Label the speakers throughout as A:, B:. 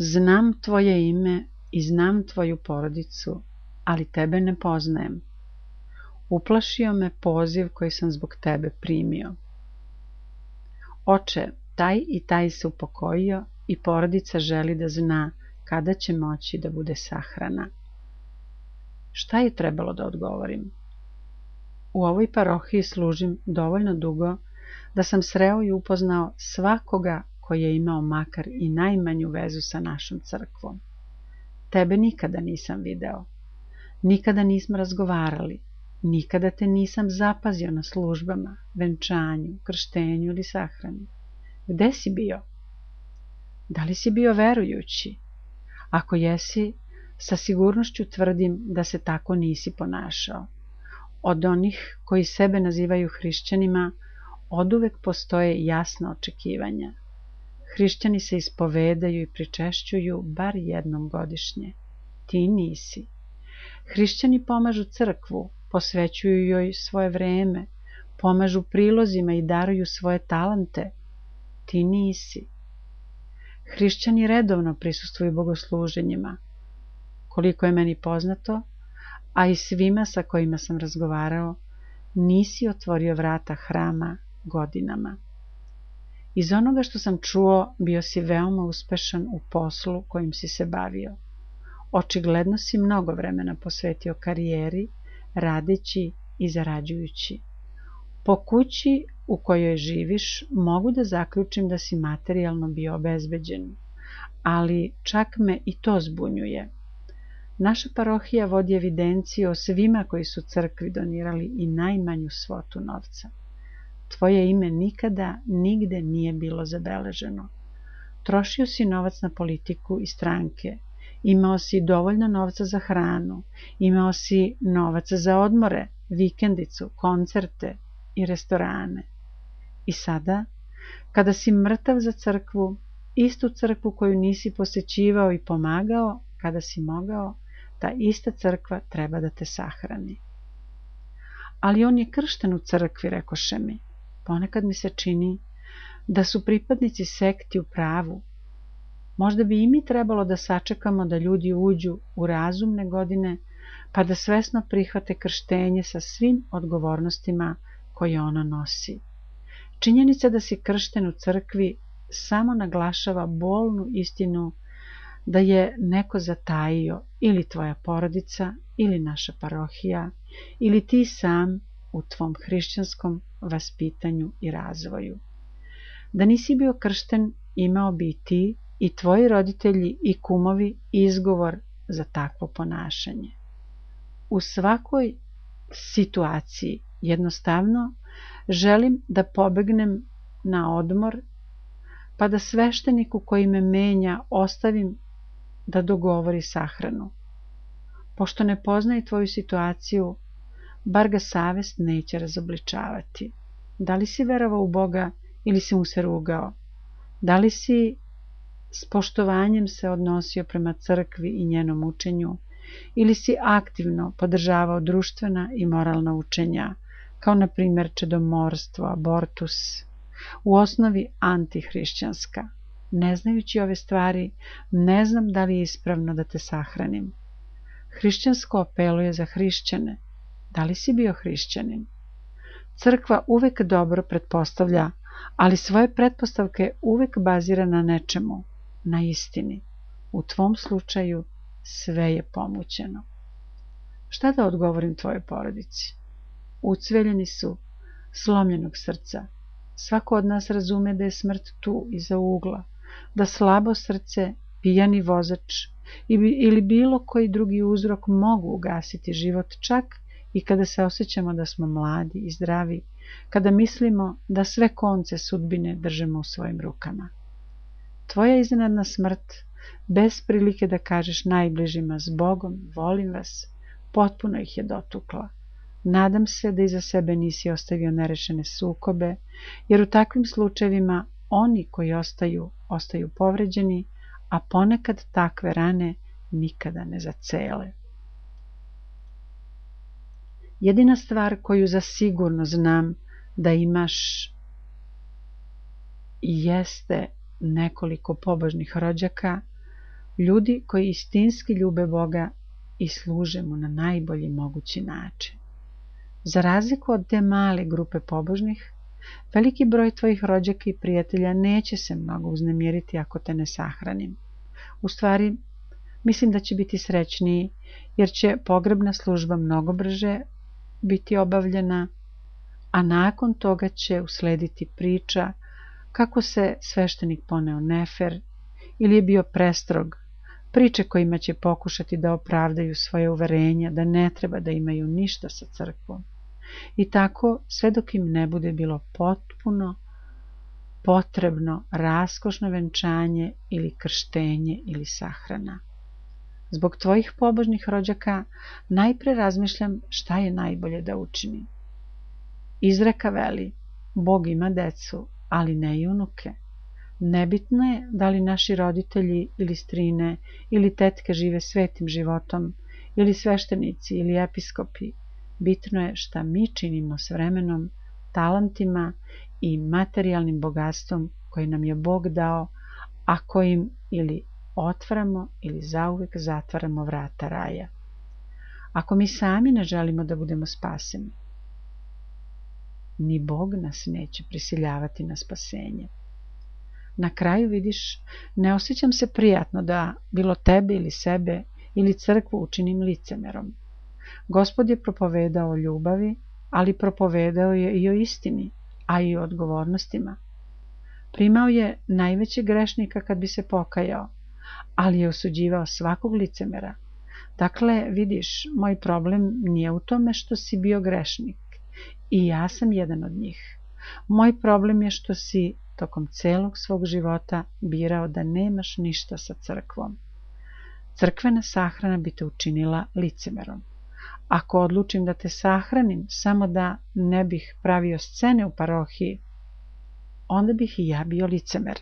A: Znam tvoje ime i znam tvoju porodicu, ali tebe ne poznajem. Uplašio me poziv koji sam zbog tebe primio. Oče, taj i taj se upokojio i porodica želi da zna kada će moći da bude sahrana. Šta je trebalo da odgovorim? U ovoj parohiji služim dovoljno dugo da sam sreo i upoznao svakoga koji je imao makar i najmanju vezu sa našom crkvom. Tebe nikada nisam video, nikada nismo razgovarali, nikada te nisam zapazio na službama, venčanju, krštenju ili sahrani. Gde si bio? Da li si bio verujući? Ako jesi, sa sigurnošću tvrdim da se tako nisi ponašao. Od onih koji sebe nazivaju hrišćanima oduvek postoje jasna očekivanja. Hrišćani se ispovedaju i pričešćuju bar jednom godišnje. Ti nisi. Hrišćani pomažu crkvu, posvećuju joj svoje vreme, pomažu prilozima i daruju svoje talente. Ti nisi. Hrišćani redovno prisustvuju bogosluženjima. Koliko je meni poznato, a i svima sa kojima sam razgovarao, nisi otvorio vrata hrama godinama. Iz onoga što sam čuo, bio si veoma uspešan u poslu kojim si se bavio. Očigledno si mnogo vremena posvetio karijeri, radeći i zarađujući. Po kući u kojoj živiš mogu da zaključim da si materijalno bio obezbeđen, ali čak me i to zbunjuje. Naša parohija vodi evidenciju o svima koji su crkvi donirali i najmanju svotu novca. Tvoje ime nikada, nigde nije bilo zabeleženo. Trošio si novac na politiku i stranke, imao si dovoljno novca za hranu, imao si novac za odmore, vikendicu, koncerte i restorane. I sada, kada si mrtav za crkvu, istu crkvu koju nisi posećivao i pomagao, kada si mogao, ta ista crkva treba da te sahrani. Ali on je kršten u crkvi, rekoše mi. Ponekad mi se čini da su pripadnici sekti u pravu. Možda bi i mi trebalo da sačekamo da ljudi uđu u razumne godine, pa da svesno prihvate krštenje sa svim odgovornostima koje ono nosi. Činjenica da si kršten u crkvi samo naglašava bolnu istinu da je neko zatajio, ili tvoja porodica, ili naša parohija, ili ti sam u tvom hrišćanskom vaspitanju i razvoju. Da nisi bio kršten, imao bi i ti, i tvoji roditelji i kumovi izgovor za takvo ponašanje. U svakoj situaciji jednostavno želim da pobegnem na odmor, pa da svešteniku koji me menja ostavim da dogovori sahranu. Pošto ne poznaje tvoju situaciju, bar ga savest neće razobličavati. Da li si verovao u Boga ili si mu se rugao? Da li si s poštovanjem se odnosio prema crkvi i njenom učenju, ili si aktivno podržavao društvena i moralna učenja, kao na primjer čedomorstvo, abortus, u osnovi antihrišćanska? Ne znajući ove stvari, ne znam da li je ispravno da te sahranim. Hrišćansko apeluje za hrišćane. Da li si bio hrišćanin? Crkva uvek dobro pretpostavlja, ali svoje pretpostavke uvek bazira na nečemu, na istini. U tvom slučaju sve je pomućeno. Šta da odgovorim tvojoj porodici? Ucveljeni su, slomljenog srca. Svako od nas razume da je smrt tu, iza ugla, da slabo srce, pijani vozač ili bilo koji drugi uzrok mogu ugasiti život, čak i kada se osjećamo da smo mladi i zdravi, kada mislimo da sve konce sudbine držimo u svojim rukama. Tvoja iznenadna smrt, bez prilike da kažeš najbližima s Bogom, volim vas, potpuno ih je dotukla. Nadam se da iza sebe nisi ostavio nerešene sukobe, jer u takvim slučajevima oni koji ostaju povređeni, a ponekad takve rane nikada ne zacele. Jedina stvar koju zasigurno znam da imaš jeste nekoliko pobožnih rođaka, ljudi koji istinski ljube Boga i služe mu na najbolji mogući način. Za razliku od te male grupe pobožnih, veliki broj tvojih rođaka i prijatelja neće se mnogo uznemiriti ako te ne sahranim. U stvari, mislim da će biti srećniji, jer će pogrebna služba mnogo brže biti obavljena, a nakon toga će uslediti priča kako se sveštenik poneo nefer ili je bio prestrog, priče kojima će pokušati da opravdaju svoje uverenja da ne treba da imaju ništa sa crkvom. I tako, sve dok im ne bude bilo potpuno potrebno raskošno venčanje ili krštenje ili sahrana. Zbog tvojih pobožnih rođaka najpre razmišljam šta je najbolje da učinim. Izreka veli, Bog ima decu, ali ne i unuke. Nebitno je da li naši roditelji ili strine ili tetke žive svetim životom, ili sveštenici ili episkopi. Bitno je šta mi činimo s vremenom, talentima i materijalnim bogatstvom koje nam je Bog dao, a kojim ili otvaramo ili zauvek zatvaramo vrata raja. Ako mi sami ne želimo da budemo spaseni, ni Bog nas neće prisiljavati na spasenje. Na kraju vidiš, ne osjećam se prijatno da bilo tebe ili sebe ili crkvu učinim licemerom. Gospod je propovedao o ljubavi, ali propovedao je i o istini, a i o odgovornostima. Primao je najvećeg grešnika kad bi se pokajao, ali je osuđivao svakog licemera. Dakle, vidiš, moj problem nije u tome što si bio grešnik i ja sam jedan od njih. Moj problem je što si tokom celog svog života birao da nemaš ništa sa crkvom. Crkvena sahrana bi te učinila licemerom. Ako odlučim da te sahranim samo da ne bih pravio scene u parohiji, onda bih i ja bio licemer.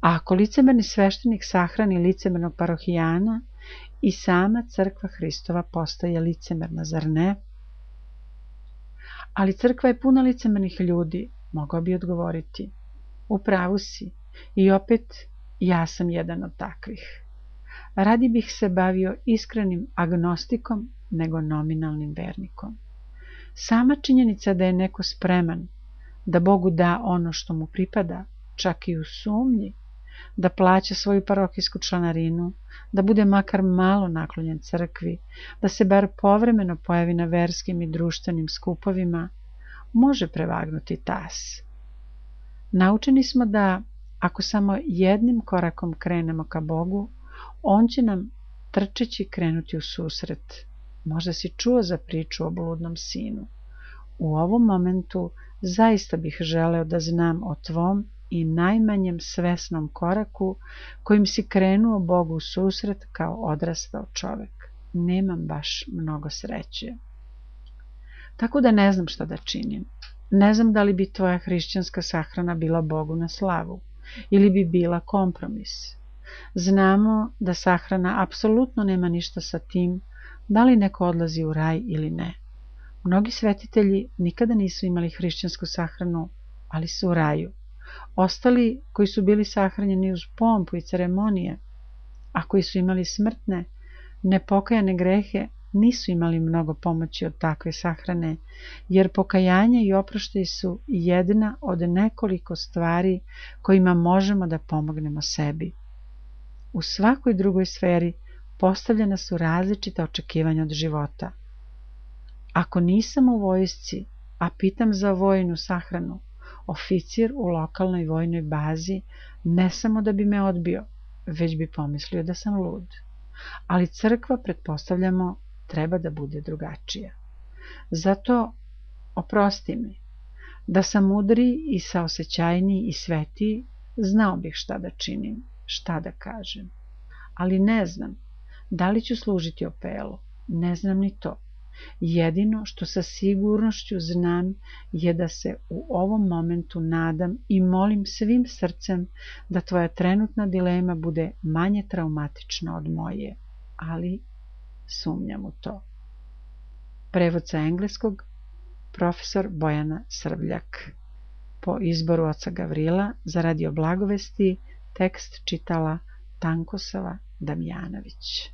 A: A ako licemerni sveštenik sahrani licemernog parohijana, i sama crkva Hristova postaje licemerna, zar ne? Ali crkva je puna licemernih ljudi, mogao bi odgovoriti. U pravu si, i opet ja sam jedan od takvih. Radi bih se bavio iskrenim agnostikom nego nominalnim vernikom. Sama činjenica da je neko spreman da Bogu da ono što mu pripada, čak i u sumnji, da plaća svoju parohijsku članarinu, da bude makar malo naklonjen crkvi, da se bar povremeno pojavi na verskim i društvenim skupovima, može prevagnuti tas. Naučeni smo da, ako samo jednim korakom krenemo ka Bogu, on će nam trčeći krenuti u susret. Možda si čuo za priču o bludnom sinu. U ovom momentu zaista bih želeo da znam o tvom i najmanjem svesnom koraku kojim si krenuo Bogu u susret kao odrastao čovek. Nemam baš mnogo sreće. Tako da ne znam šta da činim. Ne znam da li bi tvoja hrišćanska sahrana bila Bogu na slavu ili bi bila kompromis. Znamo da sahrana apsolutno nema ništa sa tim da li neko odlazi u raj ili ne. Mnogi svetitelji nikada nisu imali hrišćansku sahranu, ali su u raju. Ostali koji su bili sahranjeni uz pompu i ceremonije, a koji su imali smrtne, nepokajane grehe, nisu imali mnogo pomoći od takve sahrane, jer pokajanje i oproštaj su jedna od nekoliko stvari kojima možemo da pomognemo sebi. U svakoj drugoj sferi postavljena su različita očekivanja od života. Ako nisam u vojsci, a pitam za vojnu sahranu, oficir u lokalnoj vojnoj bazi ne samo da bi me odbio, već bi pomislio da sam lud. Ali crkva, pretpostavljamo, treba da bude drugačija. Zato oprosti mi, da sam mudri i saosećajniji i svetiji, znao bih šta da činim, šta da kažem. Ali ne znam, da li ću služiti Opelu, ne znam ni to. Jedino što sa sigurnošću znam je da se u ovom momentu nadam i molim svim srcem da tvoja trenutna dilema bude manje traumatična od moje, ali sumnjam u to. Prevod sa engleskog, profesor Bojana Srbljak. Po izboru oca Gavrila za Radio Blagovesti tekst čitala Tankosava Damjanović.